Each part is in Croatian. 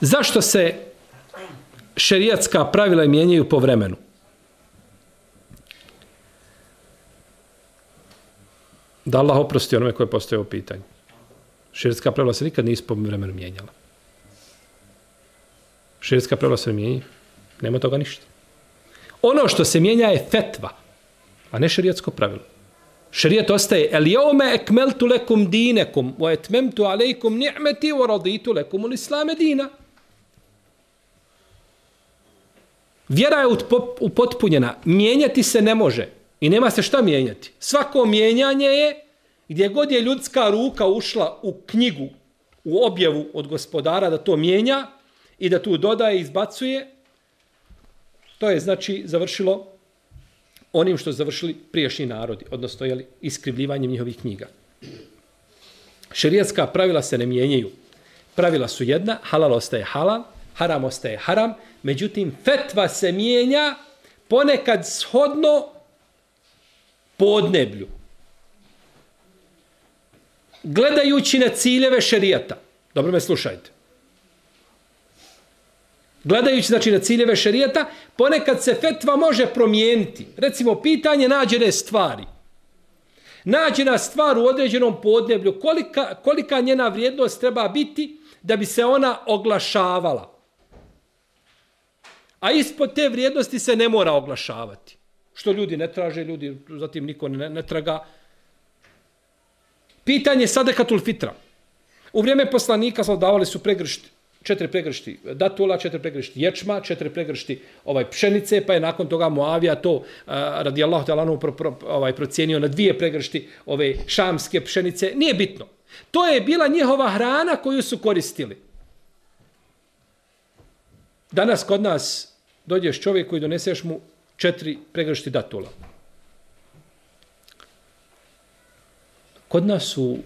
Zašto se šerijatska pravila mijenjaju po vremenu? Da Allah oprosti onome koje postoje ovo pitanje. Šerijatska pravila se nikad nisu po vremenu mijenjala. Šerijatska pravila se ne mijenjaju. Nema toga ništa. Ono što se mijenja je fetva, a ne šerijatsko pravilo. Šerijat ostaje el jeume ekmeltu lekum dinekum wa etmemtu alejkum ni'meti wa raditu lekum l-islame dina. Vjera je upotpunjena. Mijenjati se ne može. I nema se šta mijenjati. Svako mijenjanje je gdje god je ljudska ruka ušla u knjigu, u objavu od gospodara da to mijenja i da tu dodaje i izbacuje, to je znači završilo onim što su završili prijašnji narodi, odnosno iskrivljivanjem njihovih knjiga. Šerijatska pravila se ne mijenjaju. Pravila su jedna, halal ostaje halal, haram ostaje haram, međutim fetva se mijenja ponekad shodno podneblju. Gledajući na ciljeve šerijata. Dobro me slušajte. Gledajući znači na ciljeve šerijata, ponekad se fetva može promijeniti. Recimo, pitanje nađene stvari. Nađena stvar u određenom podneblju, kolika njena vrijednost treba biti da bi se ona oglašavala. A ispod te vrijednosti se ne mora oglašavati. Što ljudi ne traže, ljudi zatim niko ne traga. Pitanje sadekatul fitra. U vrijeme poslanika davali su 4 pregršti datula, 4 pregršti ječma, 4 pregršti pšenice, pa je nakon toga Muavija to radijallahu ta'ala procijenio na 2 pregršti ove šamske pšenice. Nije bitno. To je bila njihova hrana koju su koristili. Danas kod nas dođeš čovjeku i doneseš mu 4 pregršti datula. Kod nas su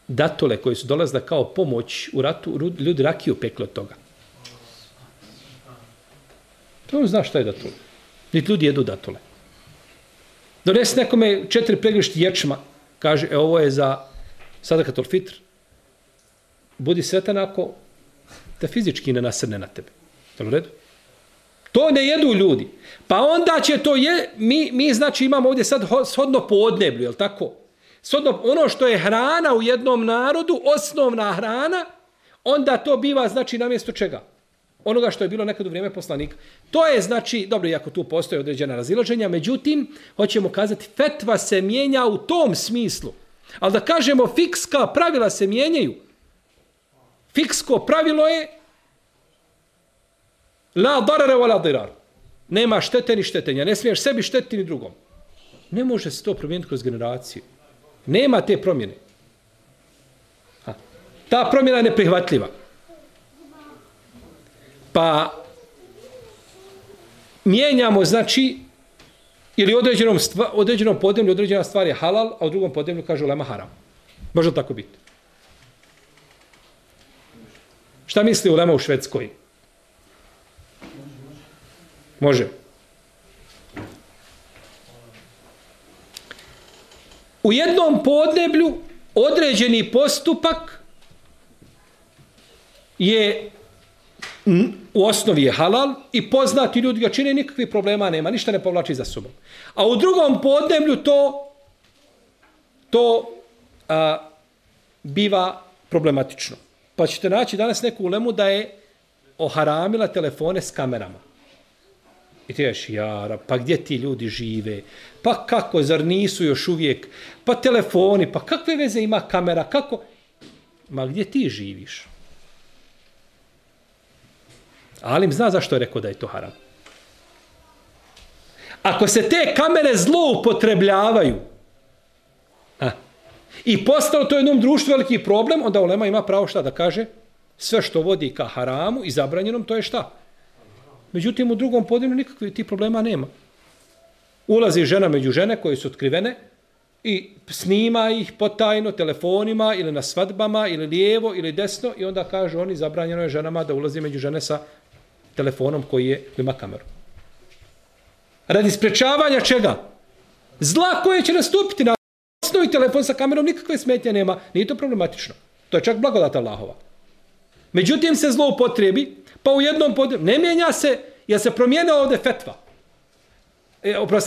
datule koji su dolazile kao pomoć u ratu, ljudi rakiju pekli od toga. To zna šta je datule. Niti ljudi jedu datule. Donesi nekome 4 pregršti ječma, kaže, ovo je za sadakatul fitr. Budi sretan ako te fizički ne nasrne na tebe. Je u redu? To ne jedu ljudi. Pa onda će to mi znači imamo ovdje sad shodno podneblju, je li tako? Shodno ono što je hrana u jednom narodu, osnovna hrana, onda to biva znači namjesto čega? Onoga što je bilo nekad u vrijeme poslanika. To je znači, dobro, iako tu postoje određena razilaženja, međutim, hoćemo kazati, fetva se mijenja u tom smislu. Ali da kažemo, fikska pravila se mijenjaju. Fiksko pravilo je la darare wa la dirar. Nema štete ni štetenja. Ne smiješ sebi štetiti ni drugom. Ne može se to promijeniti kroz generaciju. Nema te promjene. Ta promjena je neprihvatljiva. Pa mijenjamo, znači, ili određenom podneblju određena stvar je halal, a u drugom podneblju kaže ulema haram. Može tako biti? Šta misli ulema u Švedskoj? Može. U jednom podneblju određeni postupak je u osnovi je halal i poznati ljudi ga čine, nikakvih problema nema, ništa ne povlači za sobom. A u drugom podneblju to biva problematično. Pa ćete naći danas neku ulemu da je oharamila telefone s kamerama. I ti ješ, jara, pa gdje ti ljudi žive? Pa kako, zar nisu još uvijek? Pa telefoni, pa kakve veze ima kamera? Kako? Ma gdje ti živiš? Alim zna zašto je rekao da je to haram. Ako se te kamere zloupotrebljavaju i postalo to jednom društvu veliki problem, onda ulema ima pravo šta da kaže? Sve što vodi ka haramu i zabranjenom, to je šta? Međutim, u drugom podneblju nikakvih tih problema nema. Ulazi žena među žene koje su otkrivene i snima ih potajno telefonima ili na svadbama ili lijevo ili desno i onda kažu oni zabranjeno je ženama da ulazi među žene sa telefonom koji ima kameru. Radi sprečavanja čega? Zla koje će nastupiti na osnovi telefon sa kamerom nikakve smetnje nema. Nije to problematično. To je čak blagodat Allahova. Međutim se zloupotrebi, pa u jednom ne mijenja se, jer se promijenila ovdje fetva.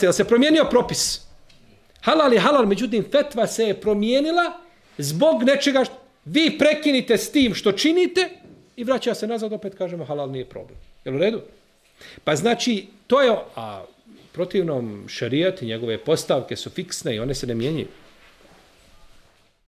Jel se promijenio propis. Halal je halal, međutim fetva se je promijenila zbog nečega vi prekinite s tim što činite i vraća se nazad, opet kažemo halal nije problem. Jel u redu? Pa znači, to je, a protivnom šerijat i njegove postavke su fiksne i one se ne mijenjaju.